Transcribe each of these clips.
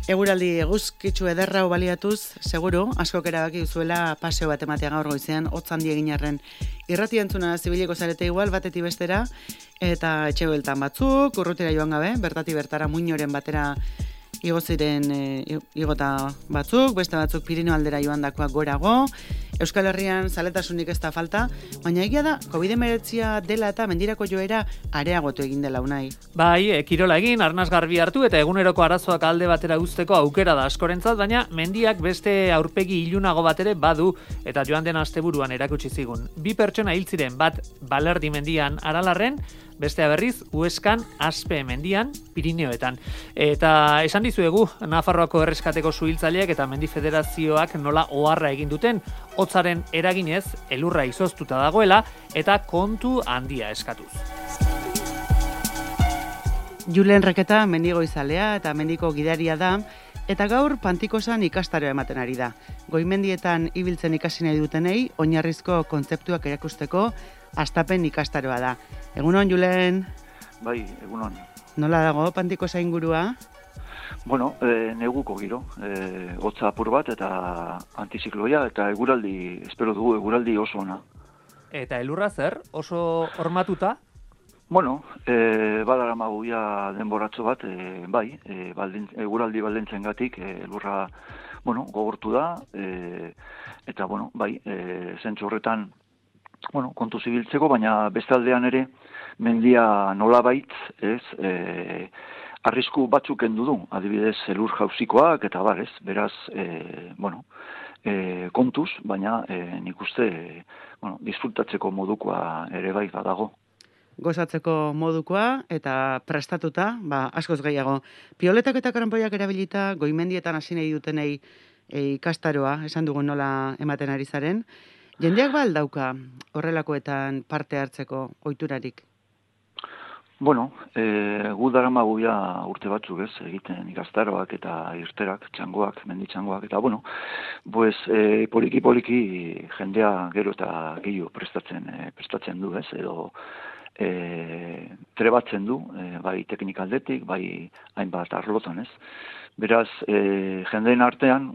Eguraldi eguzkitsu ederra baliatuz, seguru, askok erabaki duzuela paseo bat ematea gaur goizean, hotz handi egin arren. Irrati entzuna zibiliko zarete igual, batetik bestera, eta etxe bueltan batzuk, urrutira joan gabe, bertatik bertara muinoren batera igo ziren igota batzuk, beste batzuk Pirinio aldera joan dakoak gorago. Euskal Herrian zaletasunik ez da falta, baina egia da, COVID-19 dela eta mendirako joera areagotu egin dela unai. Bai, kirola egin, arnaz garbi hartu eta eguneroko arazoak alde batera uzteko aukera da askorentzat, baina mendiak beste aurpegi ilunago bat ere badu eta joan den asteburuan erakutsi zigun. 2 pertsona hil ziren, bat Balerdi mendian Aralarren, bestea berriz Hueskan Aspe mendian Pirineoetan. Eta esan dizuegu, Nafarroako erreskateko suhiltzaileak eta Mendi Federazioak nola oharra egin duten, hotzaren eraginez elurra izoztuta dagoela eta kontu handia eskatuz. Julen Reketa mendigoizalea eta mendiko gidaria da, eta gaur Pantikosan ikastaroa ematen ari da. Goimendietan ibiltzen ikasi nahi dutenei, oinarrizko kontzeptuak erakusteko hastapen ikastaroa da. Egunon, Julen? Bai, egunon. Nola dago Pantikosa ingurua? Bueno, neguko giro, hotza apur bat eta antizikloia eta eguraldi, espero dugu eguraldi oso ona. Eta elurra zer? Oso hormatuta? Bueno, badaramagu ja denboratxo bat, bai, eguraldi baldintzen gatik, elurra, bueno, gogortu da, eta, bueno, bai, zentzu horretan, bueno, kontu zibiltzeko, baina bestaldean ere, mendia nolabait, ez, arrisku batzuk kendu du, adibidez elur jauzikoak eta bar, ez, beraz, bueno, kontuz, baina nik uste, bueno, disfrutatzeko modukoa ere bai badago. Gozatzeko modukoa eta prestatuta, askoz gehiago. Pioletak eta karanpoiak erabilita goimendietan hasi nahi dutenei ikastaroa, esan dugu nola ematen ari zaren. Jendeak dauka horrelakoetan parte hartzeko ohiturarik? Bueno, gu daramagu ja urte batzuk ez, egiten ikastaroak eta irterak, txangoak, menditxangoak, eta bueno, pues poliki-poliki jendea gero eta gehiago prestatzen du ez, edo trebatzen du, bai teknikaldetik, bai hainbat arlotan ez. Beraz, jendeen artean,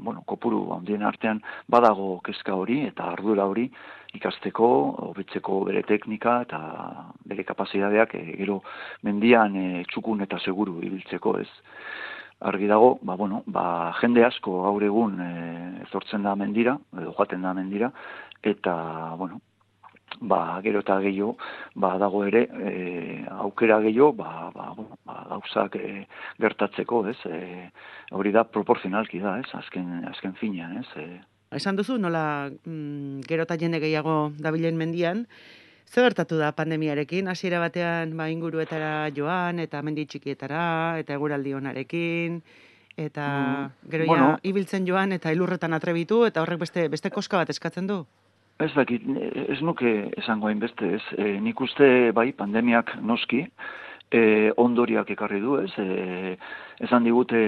bueno, kopuru handien artean, badago kezka hori eta ardura hori ikasteko, hobetzeko bere teknika eta bere kapazitateak gero mendian txukun eta seguru ibiltzeko ez. Argi dago, jende asko gaur egun ezortzen da mendira, edo joaten da mendira, eta, bueno, gero eta gehiago, dago ere, aukera gehiago, gauzak gertatzeko, ez? Hori da, proporzionalki da, ez? Azken finean, ez? Esan duzu, nola gero eta jende gehiago dabilen mendian, zer gertatu da pandemiarekin? Hasiera batean inguruetara joan, eta mendi txikietara, eta eguraldi onarekin, eta gero ibiltzen joan, eta elurretan atrebitu, eta horrek beste koska bat eskatzen du? Ez dakit, ez nuke esango hainbeste ez. Nik uste bai pandemiak noski, ondoriak ekarri du ez. Esan digute,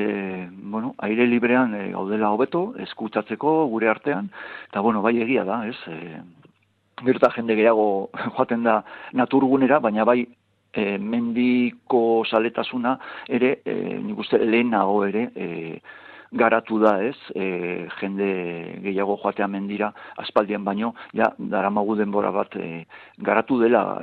aire librean gaudela hobeto, eskutsatzeko gure artean, eta bai egia da ez. Gero eta jende gehiago joaten da naturgunera, baina bai mendiko zaletasuna ere, nik uste lehenago ere, garatu da ez, jende gehiago joatea mendira aspaldian baino, daramagu denbora bat garatu dela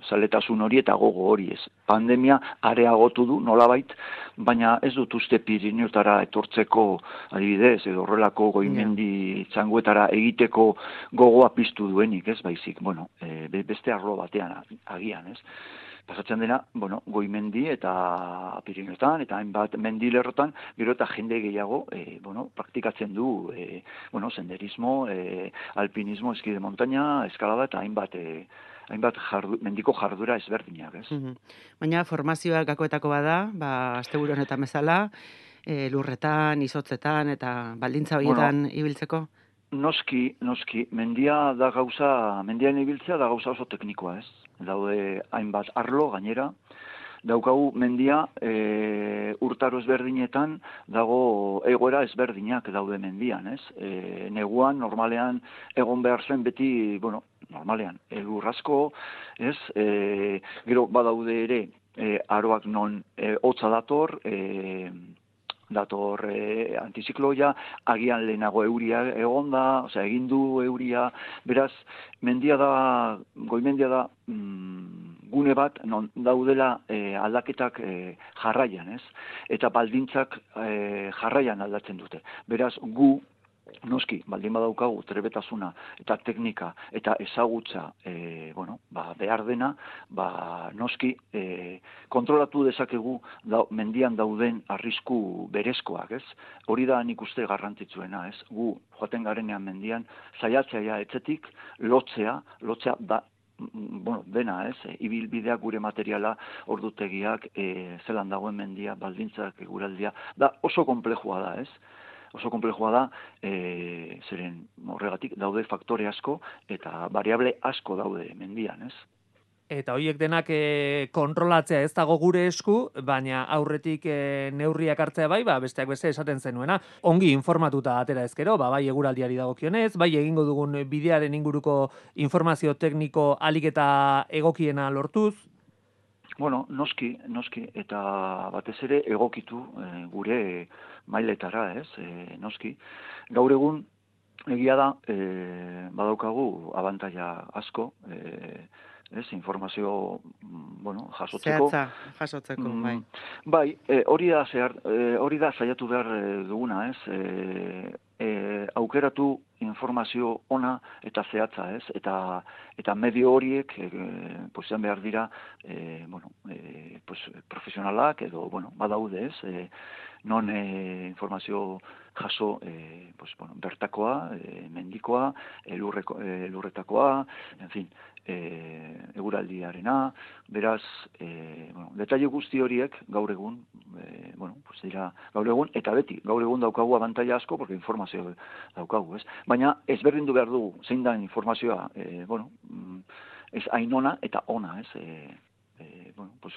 zaletasun hori eta gogo hori ez. Pandemia areagotu du nolabait, baina ez dut uste Pirineotara etortzeko adibidez, edo horrelako goimendi txangoetara egiteko gogoa piztu duenik ez, baizik, beste arlo batean agian ez. Pasatzen dena, goimendi eta Pirineotan, eta hainbat mendilerrotan, gero eta jende gehiago, praktikatzen du, senderismo, alpinismo, eski de montaña, eskalada, eta hainbat mendiko jardura ezberdinak, ez? Baina formazioa gakoetako bada, asteburu honetan bezala, lurretan, izotzetan, eta baldintza horietan ibiltzeko? Noski, mendian ibiltzea da gauza oso teknikoa, ez? Daude hainbat arlo gainera, daukagu mendia urtaro ezberdinetan dago egoera ezberdinak daude mendian, ez? Neguan, normalean, egon behar zen beti, normalean, elur asko, ez? Gero badaude ere, aroak non hotza dator, dator antizikloia, agian lehenago euria egonda, osea, egin du euria, beraz, goimendia da, gune bat, non daudela aldaketak jarraian, ez? Eta baldintzak jarraian aldatzen dute. Beraz, gu, noski, baldin badaukagu trebetasuna eta teknika eta ezagutza behar dena, noski kontrolatu dezakegu mendian dauden arrisku berezkoak, ez? Hori da nik uste garrantzitsuena, ez? Gu joaten garenean mendian saiatzea etzetik lotzea da dena, ez? Ibilbideak, gure materiala, ordutegiak, zelan dagoen mendia, baldintzak, eguraldia, da oso konplexua da, ez? Oso konplexua da, zeren horregatik daude faktore asko eta variable asko daude mendian, ez? Eta horiek denak kontrolatzea ez dago gure esku, baina aurretik neurriak hartzea bai, besteak beste esaten zenuena. Ongi informatuta atera ezkero, bai eguraldiari dagokionez, bai egingo dugun bidearen inguruko informazio tekniko ahalik eta egokiena lortuz. Bueno, noski, eta batez ere egokitu gure mailetara, ez? Noski. Gaur egun, egia da, badaukagu abantaila asko, informazio, jasotzeko. Jasotzeko, bai. Bai, hori da saiatu behar duguna, ez? Aukeratu informazio ona eta zehatza, ez? Eta medio horiek izan behar dira profesionalak edo badaude, ez? Non informazio jaso bertakoa, mendikoa, lurretakoa, en fin, eguraldiarena, beraz, detaile guzti horiek gaur egun, dira gaur egun, eta beti, gaur egun daukagu abantaila asko, porque informazio daukagu, ez? Baina ezberdindu behar dugu, zein da informazioa, ez hain ona eta ona, ez?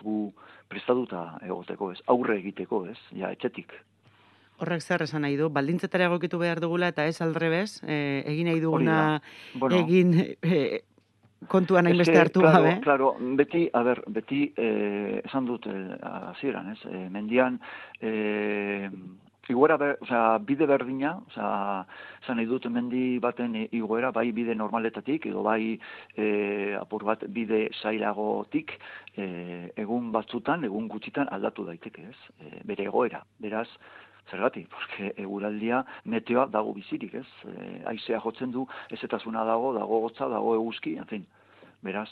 Gu prestatuta egoteko, ez? Aurre egiteko, ez? Ja, etxetik. Horrek zer esan nahi du, baldintzetara egokitu behar dugula eta ez aldrebez, egin nahi duguna, egin kontuan hainbeste hartu gabe. Claro, beti esan dut hasieran, ez? Mendian, bide berdina, esan nahi dut mendi baten igoera, bai bide normaletatik, edo bai apur bat bide zailagotik, egun batzutan, egun gutxitan aldatu daiteke, ez? Bere egoera, beraz, zergatik, porque eguraldia meteoa dago bizirik, ez? Haizea jotzen du, ezetasuna dago hotza, dago eguzki, en fin. Beraz,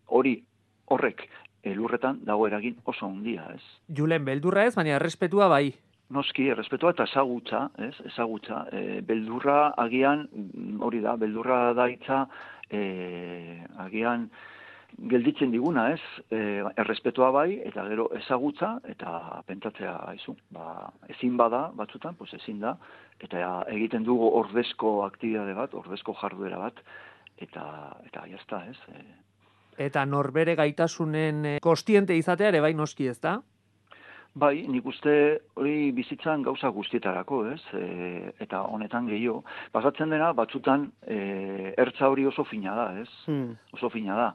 horrek lurretan dago eragin oso handia, ez? Julen, beldurra ez, baina errespetua bai. Noski, errespetua eta ezagutza, ez? Ezagutza. Beldurra agian, hori da, beldurra da hitza, agian gelditzen diguna, ez? Errespetua bai, eta gero ezagutza, eta pentsatzea haizu. Ezin bada, batzutan, ezin da, eta egiten dugu ordezko aktibitate bat, ordezko jarduera bat, eta jazta, ez? Eta norbere gaitasunen kostiente izatea ere bai noski, ez da? Bai, nik uste hori bizitzan gauza guztietarako, ez? Eta honetan gehiago. Pasatzen dena, batzutan, ertza hori oso fina da, ez? Oso fina da.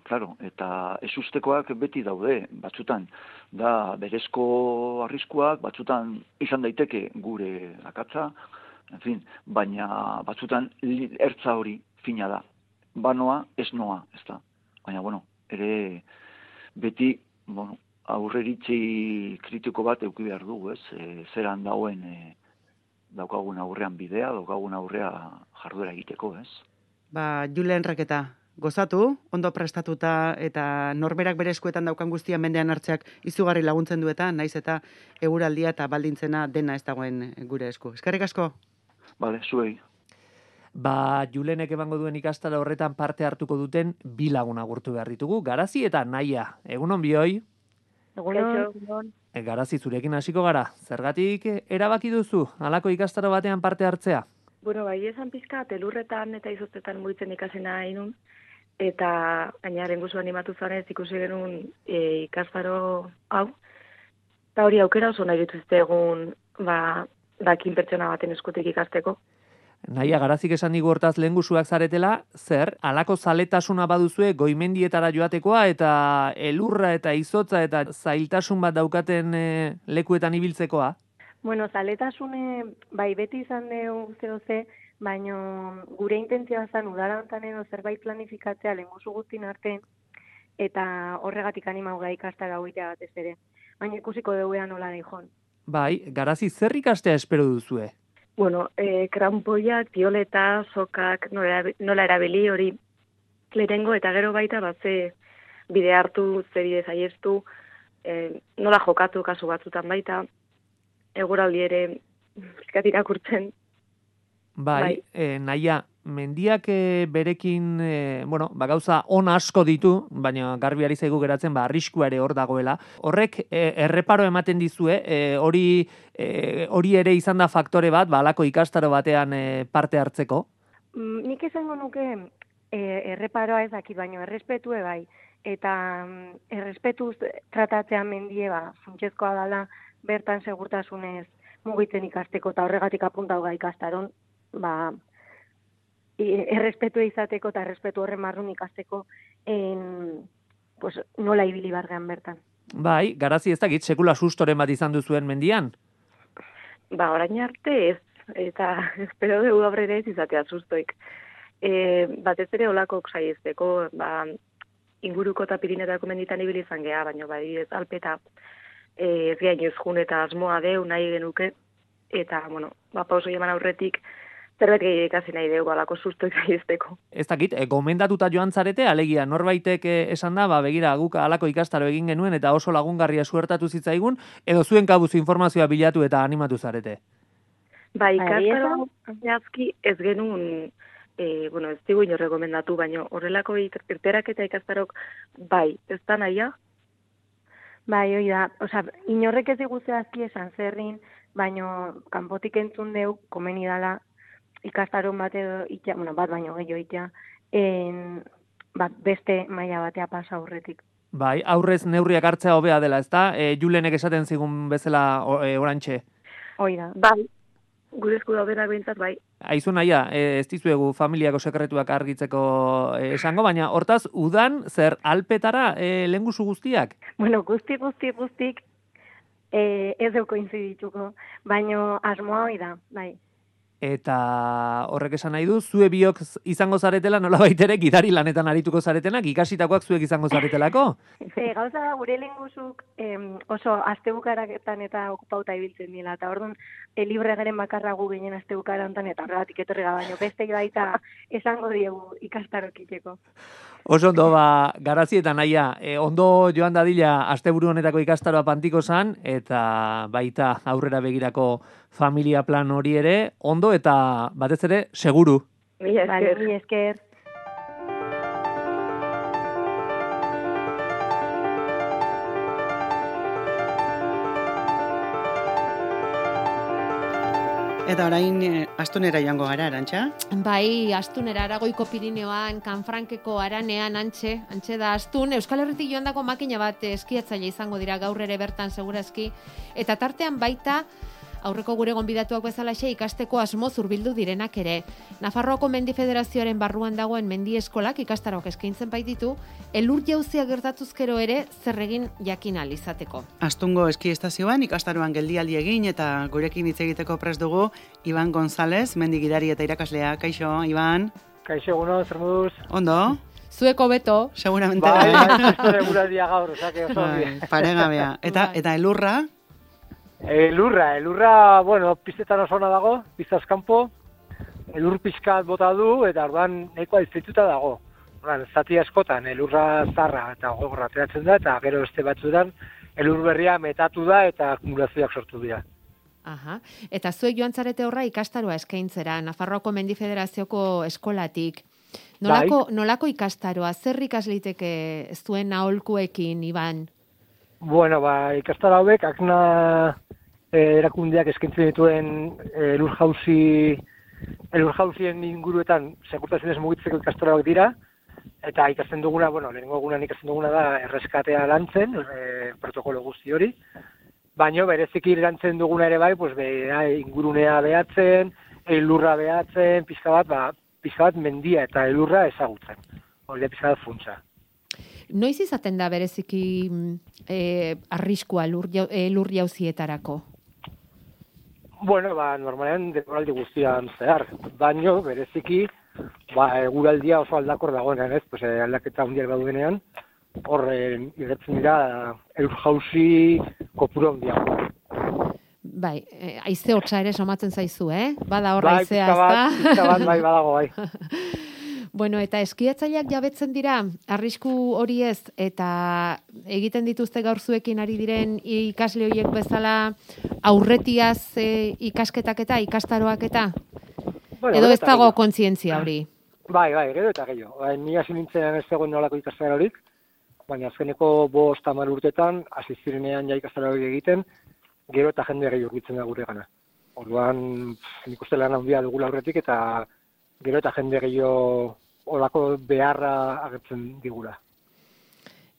Claro, eta ezustekoak beti daude, batzutan, da berezko arriskuak, batzutan izan daiteke gure akatza, en fin, baina batzutan ertza hori fina da. Banoa, ez noa, ez da. Baina, ere beti, aurreritzi kritiko bat eduki behar dugu, ez? Zeran dauen daukagun aurrean bidea, daukagun aurrea jarduera egiteko, ez? Julen Reketa, gozatu, ondo prestatuta eta norberak bere eskuetan daukan guztia mendean hartzeak izugarri laguntzen dueta, naiz eta eguraldia eta baldintzena dena ez dagoen gure esku. Eskerrik asko? Bale, zuei. Julenek emango duen ikastaro horretan parte hartuko duten bi lagun agurtu behar ditugu, Garazi eta Naia. Egunon bioi? Egunon. Garazi, zurekin hasiko gara. Zergatik erabaki duzu halako ikastaro batean parte hartzea? Bai, esan pizka, telurretan eta izoztetan mugitzen ikasena inun, eta gainaren guzu animatu zanez ikusi genuen ikastaro hau, eta hori aukera oso nahi dituzte egun, dakin pertsona baten eskutik ikasteko. Naia, Garazik esan digu hortaz lehengusuak zaretela, zer, halako zaletasuna baduzue goimendietara joatekoa eta elurra eta izotza eta zailtasun bat daukaten lekuetan ibiltzekoa? Bueno, zaletasune, bai, beti izan dugu ze, baina gure intentzioa zen udarantan edo zerbait planifikatzea lehengusu guztin arte, eta horregatik animau gai ikastara hoitea batez ere. Baina ikusiko duguean nola dihon. Bai, Garazi zer ikastea espero duzue? Bueno, krampoiak, tioleta, sokak, nola erabili hori lehengo eta gero baita batze bide hartu, ze bide zaiestu, nola jokatu kasu batzutan baita, eguraldi ere pizkat irakurtzen. Bai. Naia, mendiak berekin, gauza on asko ditu, baina garbi ari zaigu geratzen, arriskua ere hor dagoela. Horrek erreparo ematen dizue, hori ere izan da faktore bat, halako ikastaro batean parte hartzeko? Nik esango nuke erreparoa ez dakit, baina errespetue bai. Eta errespetuz tratatzea mendie, funtsezkoa dela, bertan segurtasunez mugitzen ikasteko, eta horregatik apuntau gai ikastaron, errespetu izateko eta errespetu horren marrun ikasteko nola ibili bargean bertan. Bai, Garazi ez dakit, sekula sustoren bat izan duzuen mendian? Orain arte ez, eta espero dugu aurrera ez izatea sustoik. Batez ere olakok saiesteko, inguruko eta Pirinetako menditan ibili izan geha, baina ez alpeta ez gainoz jun eta asmoa deu nahi genuke, eta, pauso eman aurretik, zerbait gehiago ikasi nahi dugu alako susto ikaiesteko. Ez dakit, gomendatuta joan zarete, alegia norbaitek esan da, begira guk alako ikastaro egin genuen eta oso lagungarria suertatu zitzaigun, edo zuen kabuz informazioa bilatu eta animatu zarete? Ikastaro jazki ez genuen, ez digu ino rekomendatu, baina horrelako irterak eta ikastarok ez da nahia? Hoi da, inorrek ez digu zehazki esan zerrin, baina kanpotik entzun deu, komeni dala, ikastaron bat edo itea, bat baino gehiago itea, beste maila batea pasa aurretik. Aurrez neurriak hartzea hobea dela, ezta? Julenek esaten zigun bezala orantxe. Hoi da. Gure esku daudena behintzat, Aizu naia, ez dizuegu familiako sekretuak argitzeko esango, baina hortaz, udan, zer alpetara lehengusu guztiak? Guztik, ez deuko inzidituko, baina asmoa hoi da, Eta horrek esan nahi du, zue biok izango zaretela nolabait ere gidari lanetan arituko zaretenak, ikasitakoak zuek izango zaretelako? Gauza da, gure lehengusuk oso astebukaraketan eta okupauta ibiltzen dira, eta orduan libre garen bakarra gu ginen astebukarantan, eta horregatik etorri baino beste baita esango diegu ikastarokiteko. Oso ondo, Garazi eta Naia, ondo joan dadila asteburu honetako ikastaroa Pantiko zan, eta baita aurrera begirako familia plan hori ere, ondo eta batez ere, seguru. Mila esker. Eta orain Astunera joango gara, Arantxa? Bai, Astunera, Aragoiko Pirineoan, Kanfrankeko Aranean, antxe da Astun. Euskal Herritik joandako makina bat eskiatzaile izango dira gaur ere bertan segurazki. Eta tartean baita, aurreko gure gonbidatuak bezalaxe ikasteko asmoz hurbildu direnak ere. Nafarroako Mendi Federazioaren barruan dagoen mendi eskolak ikastarok eskaintzen baititu, elur jauzia gertatuzkero ere zerregin jakin ahal izateko. Astungo eski estazioan ikastaroan geldialdi egin eta gurekin hitz egiteko prest dugu Iban González, mendi gidari eta irakaslea. Kaixo, Iban? Kaixo, egunon, zer moduz? Ondo? Zueko beto. Seguramente. Eguraldia gaur, osake, oso. Paregabea. Eta elurra? Elurra, piztetan oso ona dago, piztaz kanpo, elur pizkat bota du, eta orduan nahikoa dizituta dago. Zati askotan, elurra zarra eta gogorra ateratzen da, eta gero beste batzuetan, elur berria metatu da eta akumulazioak sortu dira. Aha. Eta zuek joan zarete horra ikastaroa eskaintzera, Nafarroako Mendi Federazioko eskolatik. Nolako ikastaroa, zer ikasliteke zuen aholkuekin, Iban? Ikastaro hauek, akna erakundeak eskaintzen dituen elur-jauzien inguruetan sekurtasunez mugitzeko ikastaroak dira, eta ikasten duguna, lehenengo egunean ikasten duguna da erreskatea lantzen, protokolo guzti hori, baina bereziki lantzen duguna ere bai, ingurunea behatzen, elurra behatzen, pixka bat mendia eta elurra ezagutzen. Hori da pixka bat funtsa. Noiz izaten da bereziki arriskua lur jauzietarako? Bueno, normalean denboraldi guztian zehar, baino bereziki eguraldia oso aldakor dagoenean, ez? Pues aldaketa handiak daudenean, hor iretzen dira elur jauzi kopuru handiak. Bai, haize hotza ere somatzen zaizu, Bada hor haizea, ezta? Pizka bat, bai, badago, bai. Bueno, eta eskiatzaileak jabetzen dira, arrisku hori ez, eta egiten dituzte gaur zuekin ari diren ikasle horiek bezala aurretiaz ikasketak eta ikastaroak eta? Bueno, edo ez dago kontzientzia hori? Bai, gero eta gehiago. Ni hasi nintzen ez zegoen nolako ikastaro horik, baina azkeneko 5-10 urtetan, hasi zirenean ja ikastaro hori egiten, gero eta jende gehiago urbitzen da gure gana. Orduan, nik uste lan handia dugula aurretik eta gero eta jende gehiago olako beharra agertzen digula.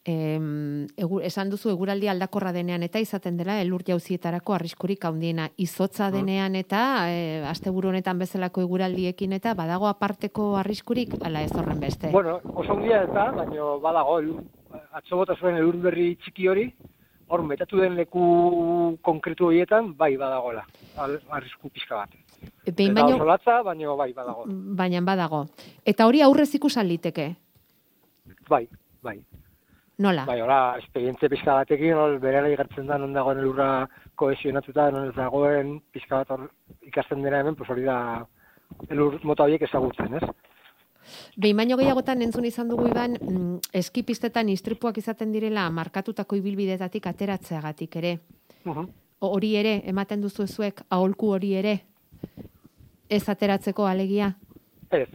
Esan duzu eguraldi aldakorra denean eta izaten dela elur jauzietarako arriskurik handiena. Izotza denean eta asteburu honetan bezalako eguraldiekin eta badago aparteko arriskurik ala ez horren beste. Bueno, oso handia eta, baina badago atzo bota zuen elur berri txiki hori, hor metatu den leku konkretu horietan bai badagola. Arrisku pixka bat. Eta oso latza, baina bai badago. Baina badago. Eta hori aurrez ikusan liteke? Bai. Nola? Bai, hola, esperientzia pixka batekin, berela igartzen da, non dagoen elurra kohesionatuta, non ez dagoen pixka bat ikasten dena hemen, pues hori da elur mota horiek ezagutzen, ez? Behin baino gehiagotan entzun izan dugu Iban, eskipistetan istripuak izaten direla markatutako ibilbidetatik ateratzeagatik ere. Hori ere, ematen duzu zuek, aholku hori ere, ez ateratzeko alegia? Ez,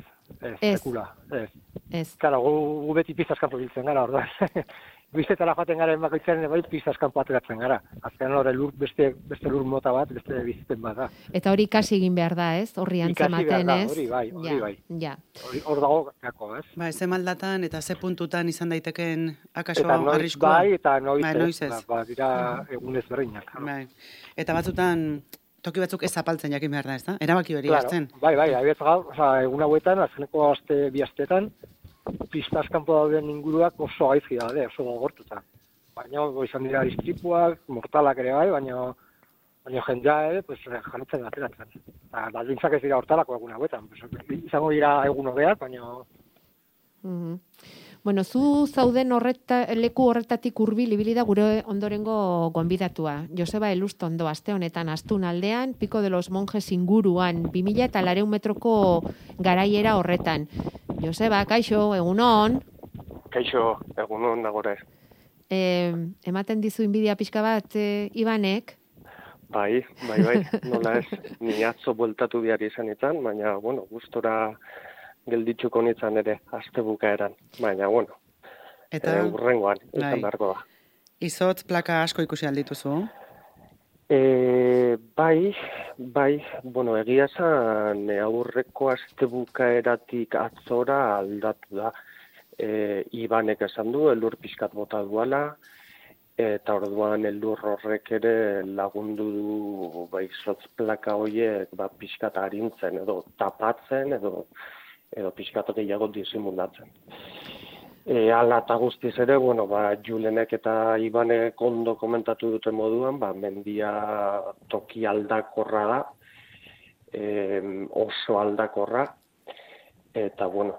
sekula, ez. Karo, gu beti piztaskampo biltzen gara, orduan. Biztetara joaten gara bakoitzaren bai piztaskampo ateratzen gara. Azkenan hori beste lur mota bat, beste bizten bat da. Eta hori ikasi egin behar da, ez? Horri antzematen, ez? Hori bai. Ja. Hor dago gako, ez? Ba, ze maldatan eta ze puntutan izan daiteken akaso arriskua? Bai, eta noiz ez. Dira egunez berdinak. Bai. Eta batzutan toki batzuk ez zapaltzen jakin behar da, ez da? Erabaki hori hartzen. Bai, abietz gaur, egun hauetan, azkeneko bi astetan, piztaskampo dauden inguruak oso gaizki daude, oso gogortuta. Baina, izan dira istripuak, mortalak ere bai, baina jendea ere, pues, janitzen ateratzen. Baldintzak ez dira hortalako egun hauetan. Izango dira egun hobeak, baina... Bueno, zu zauden leku horretatik hurbil ibili da gure ondorengo gonbidatua. Joseba Elustondo aste honetan Astun aldean, Pico de los Monjes inguruan, 2400 metroko garaiera horretan. Joseba, kaixo, egunon. Kaixo, egunon nagore. Ematen dizu inbidia pixka bat Ibanek? Bai, nola ez, ni atzo bueltatu behar izanetan, baina, bueno, gustora gelditzuko nintzen ere, aste bukaeran. Baina, bueno, urrengoan, izan beharko da. Izotz plaka asko ikusi aldituzu? Bai, bueno, egia zan aurreko aste bukaeratik atzora aldatu da. Ibanek esan du, elur pixkat bota duala, eta orduan elur horrek ere lagundu du izotz plaka horiek pixkat arintzen, edo tapatzen, edo pixkat gehiago disimulatzen. Ala eta guztiz ere, bueno, Julenek eta Ibanek ondo komentatu duten moduan, mendia toki aldakorra da, oso aldakorra, eta, bueno,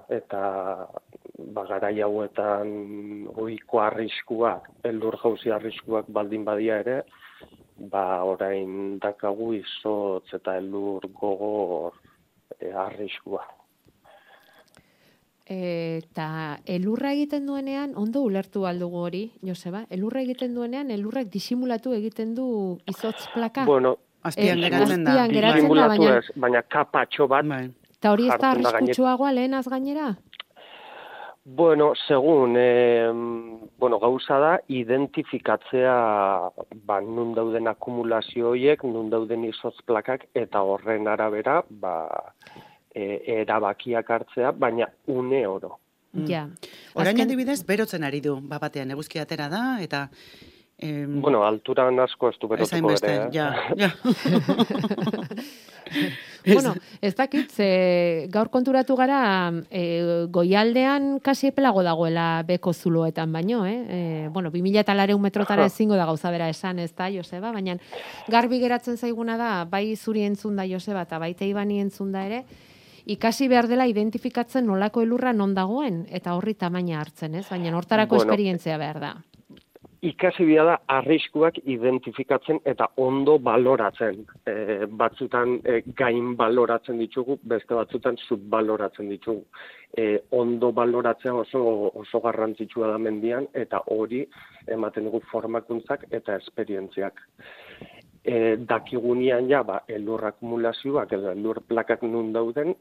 garai hauetan ohiko arriskuak, elur jauzi arriskuak baldin badia ere, orain dakagu izotz eta elur gogor arriskua. Eta elurra egiten duenean, ondo ulertu aldugu hori, Joseba, elurra egiten duenean, elurrak disimulatu egiten du izotz plaka? Bueno, azpian geratzen da. Disimulatu ez, baina kapatxo bat. Eta hori ez da arriskutsuagoa lehenaz gainera? Bueno, segun, gauza da, identifikatzea nun dauden akumulazio horiek, nun dauden izotz plakak, eta horren arabera, erabakiak hartzea, baina une oro. Ja. Orain adibidez, berotzen ari du, batean eguzki atera da, eta... Bueno, alturan asko ez du berotuko ere. Ja. Bueno, ez dakit, gaur konturatu gara goialdean kasi epelago dagoela beko zuloetan baino, bueno, 2.400 metrotara ezingo da gauza bera esan, ez da, Joseba, baina garbi geratzen zaiguna da, bai zuri entzun da Joseba, eta baita Ibani entzun da ere, ikasi behar dela identifikatzen nolako elurra non dagoen, eta horri tamaina hartzen, ez? Baina hortarako esperientzia behar da. Ikasi bia da arriskuak identifikatzen eta ondo baloratzen. Batzutan gain baloratzen ditugu, beste batzutan subbaloratzen ditugu. Ondo baloratzea oso garrantzitsua da mendian, eta hori ematen dugu formakuntzak eta esperientziak. Dakigunean ja, elur akumulazioak edo elur plakak nun dauden,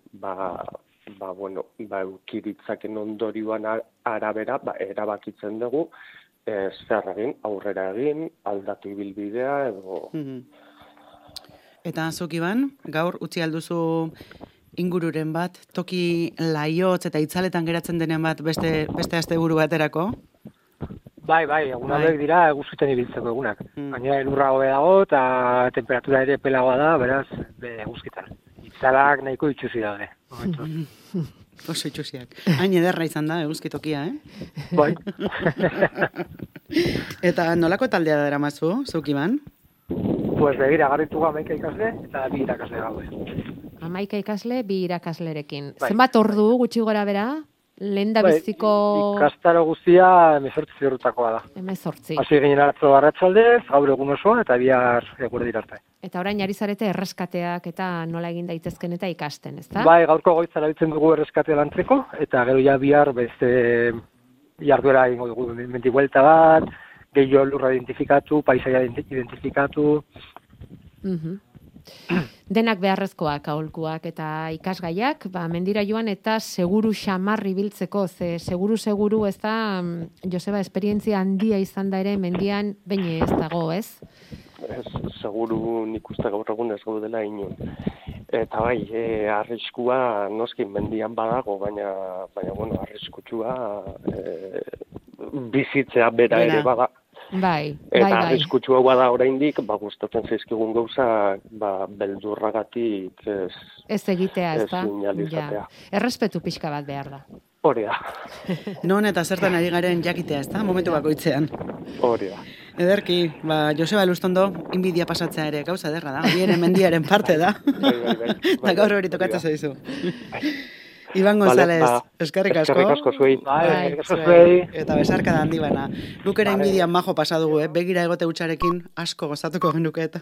eukiritzaken ondorioan arabera, erabakitzen dugu, zer egin, aurrera egin, aldatu ibilbidea edo... Eta zuk Iban, gaur utzi alduzu ingururen bat, toki laiotz eta itzaletan geratzen denen bat beste asteburu baterako? Bai, egun hauek dira eguzkiten ibiltzeko egunak. Baina elurra hobe dago eta temperatura ere pelagoa da, beraz, eguzkitan. Itzalak nahiko itxusi daude. Oso itxusiak. Hain ederra izan da eguzkitokia, Bai. Eta nolako taldea dara mazu, zuk Iban? Pues begira, garritu 11 ikasle eta 2 irakasle gaude. 11 ikasle, 2 irakaslerekin. Zenbat ordu gutxi gora bera? Lehen da biziko... Ikastaro guztia 18 eurutakoa da. 18. Hasi ginen atzo arratsaldez, gaur egun osoa eta bihar eguerdi arte. Eta orain ari zarete erreskateak eta nola egin daitezken eta ikasten, ezta? Bai, gaurko goitzara bitzen dugu erreskatea lantzeko, eta gero ja bihar beste jarduera egingo dugu mendi buelta bat, gehiago lurra identifikatu, paisaia identifikatu. Denak beharrezkoak, aholkuak eta ikasgaiak, mendira joan eta seguru xamar ibiltzeko, seguru ez da, Joseba, esperientzia handia izan da ere mendian baina ez dago, ez? Seguru nik uste gaur egun ez gaudela inon. Eta bai, arriskua noskin mendian badago, baina arriskutsua bizitzea bera ere bada. Bai. Eta arriskutsua bada oraindik, gustatzen zaizkigun gauza, beldurragatik ez egitea, ez da? Sinalizatea. Errespetu pixka bat behar da. Hori da. Non eta zertan ari garen jakitea, ez da? Momentu bakoitzean. Hori da. Ederki, Joseba Lustondo, inbidia pasatzea ere gauza ederra da. Horiene mendiaren parte da. Bai. Eta gaur hori tokatzen zaizu. Iban González, eskerrik asko. Eskerrik asko zuei. Zuei. Eta besarka da handi bana. Guk ere inbidian majo pasadugu, begira egote hutsarekin asko gozatuko genuke eta.